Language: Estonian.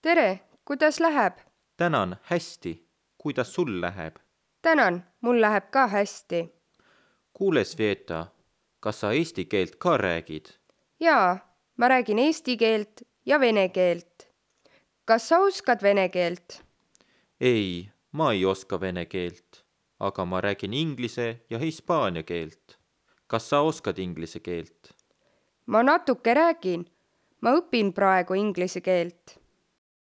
tere, kuidas läheb? Tänan, hästi. Kuidas sul läheb? Tänan, mul läheb ka hästi. Kuule, Sveta, kas sa eesti keelt ka räägid? Jaa, ma räägin eesti keelt ja vene keelt. Kas sa oskad vene keelt? Ei, ma ei oska vene keelt, aga ma räägin inglise ja hispaania keelt. Kas sa oskad inglise keelt? Ma natuke räägin. Ma õpin praegu inglise keelt.